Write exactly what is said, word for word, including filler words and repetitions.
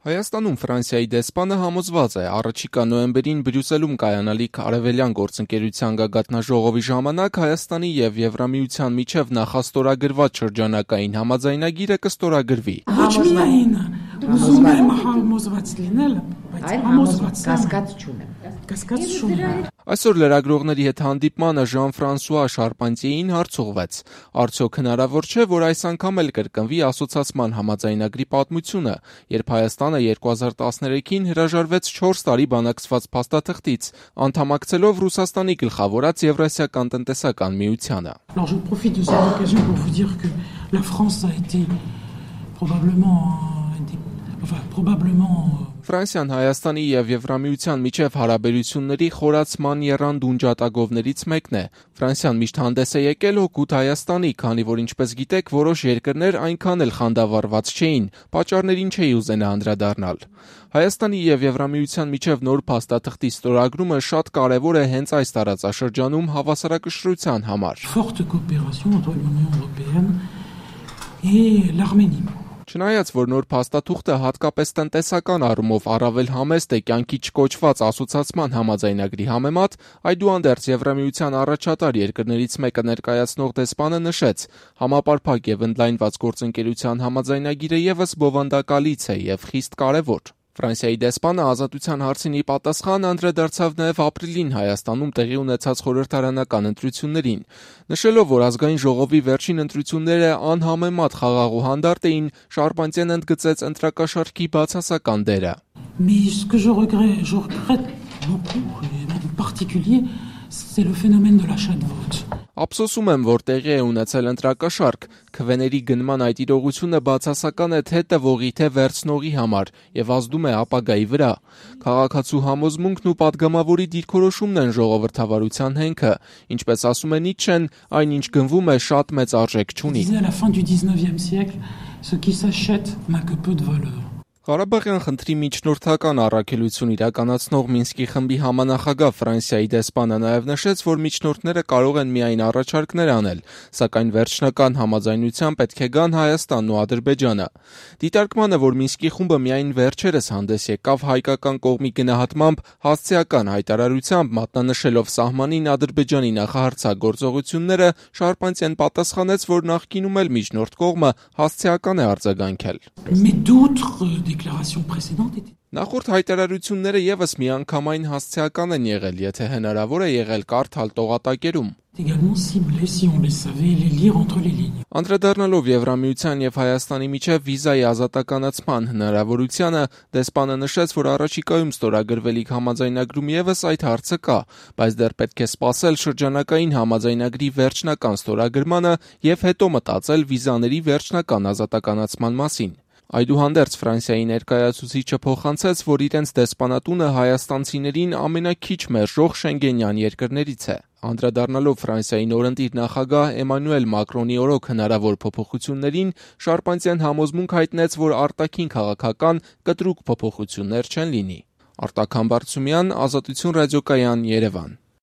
Հայաստանում Ֆրանսիայի դեսպանը համոզված է, առաջիկա նոյեմբերին Բրյուսելում կայանալիք արևելյան գործընկերության գագաթնաժողովի ժամանակ Հայաստանի և Եվրամիության միջև նախաստորագրված շրջանակային համաձայնագիրը կստորագրվի։ Ոչ միայն ուզում եմ համոզված լինել, բայց համոզված կասկած չունեմ։ կասկած չունեմ։ Այսօր լրագրողների հետ հանդիպմանը Ժան-Ֆրանսուଆ Շարպանտիեին հարց ուղղվեց. արդյոք հնարավոր չէ, որ այս անգամ էլ կրկնվի ասոցիացման համաձայնագրի պատմությունը, երբ Հայաստանը երկու հազար տասներեքին հրաժարվեց չորս տարի բանակցված փաստաթղթից, անդամակցելով Ռուսաստանի գլխավորած Եվրասիական տնտեսական միությանը։ Alors je profite de cette occasion pour vous dire que la France a été probablement enfin probablement Ֆրանսիան Հայաստանի և Եվրամիության միջև հարաբերությունների խորացման եռանդուն ջատագովներից մեկն է։ Ֆրանսիան միշտ հանդես է եկել օգուտ Հայաստանի, քանի որ ինչպես գիտեք, որոշ երկրներ այնքան էլ խանդավառված չէին, պատճառներին չէի ուզենա անդրադառնալ։ Հայաստանի և Եվրամիության միջև նոր փաստաթղթի ստորագրումը շատ կարևոր է հենց այս տարածաշրջանում հավասարակշռության համար։ Forte coopération entre l'Union européenne et l'Arménie. Չնայած, որ նոր փաստաթուղթը հատկապես տնտեսական առումով առավել համեստ է կյանքի չկոչված ասոցիացման համաձայնագրի համեմատ, այդուհանդերձ Եվրամիության առաջատար երկրներից մեկը ներկայացնող դեսպանը նշեց, համապարփակ և ընդլայնված գործընկերության համաձայնագիրը ևս բովանդակալից է և խիստ կարևոր։ Ֆրանսիայի դեսպանը ազատության հարցին ի պատասխան անդրադարձավ նաև ապրիլին Հայաստանում տեղի ունեցած խորհրդարանական ընտրություններին, նշելով, որ ազգային ժողովի վերջին ընտրությունները անհամեմատ խաղաղ ու հանդարտ էին, Շարպանտիեն ընդգծեց ընտրակաշառքի բացասական դերը։ Mais ce que je regrette, je regrette beaucoup, et en particulier, c'est le phénomène de l'achat de vote. Ափսոսում եմ, որ տեղի է ունեցել ընտրակաշառք, քվեների գնման այդ իրողությունը բացասական է թե տվողի, թե վերցնողի համար և ազդում է ապագայի վրա։ Քաղաքացու համոզմունքն ու պատգամավորի դիրքորոշումն են ժողովրդավարության հենքը, ինչպես ասում է Նիցշեն, այն ինչ գնվում է շատ մեծ արժեք չունի։ À la fin du dix-neuvième siècle, ce qui s'achète n'a que peu de valeur. Ղարաբաղյան խնդրի միջնորդական առաքելություն իրականացնող Մինսկի խմբի համանախագահ Ֆրանսիայի դեսպանը նաև նշեց, որ միջնորդները կարող են միայն առաջարկներ անել, սակայն վերջնական համաձայնության պետք է գան Հայաստանն ու Ադրբեջանը։ Դիտարկմանը, որ Մինսկի խումբը միայն վերջերս հանդես եկավ հայկական կողմի գնահատմամբ հասցեական հայտարարությամբ մատնանշելով սահմանին Ադրբեջանի նախահարձակողությունները, Շարպանտիեն պատասխանեց, որ նախկինում էլ միջնորդ կողմը հասցեական է արձագանքել։ Mais d'autres déclarations précédentes étaient Նախորդ հայտարարությունները ևս միանգամայն հասցեական են եղել, եթե հնարավոր է եղել կարդալ տողատակերում։ également ciblées, si on les savait, les lire entre les lignes. Անդրադառնալով Եվրամիության և Հայաստանի միջև վիզայի ազատականացման հնարավորությանը, դեսպանը նշեց, որ առաջիկայում ստորագրվելիք համաձայնագրում ևս այդ հարցը կա, բայց դեռ պետք է սպասել շրջանակային համաձայնագրի վերջնական ստորագրմանը և հետո մտածել վիզաների վերջնական ազատականացման մասին։ Այդուհանդերձ Ֆրանսիայի ներկայացուցիչը փոխանցեց, որ իրենց դեսպանատունը հայաստանցիներին ամենաքիչ մերժող շենգենյան երկրներից է։ Անդրադառնալով Ֆրանսիայի նորընտիր նախագահ Էմանուել Մակրոնի օրոք հնարավոր փոփոխություններին, Շարպանտիեն համոզմունք հայտնեց, որ արտաքին քաղաքական կտրուկ փոփոխություններ չեն լինի։ Արտակ Համբարձումյան, Ազատություն ռադիոկայան, Երևան։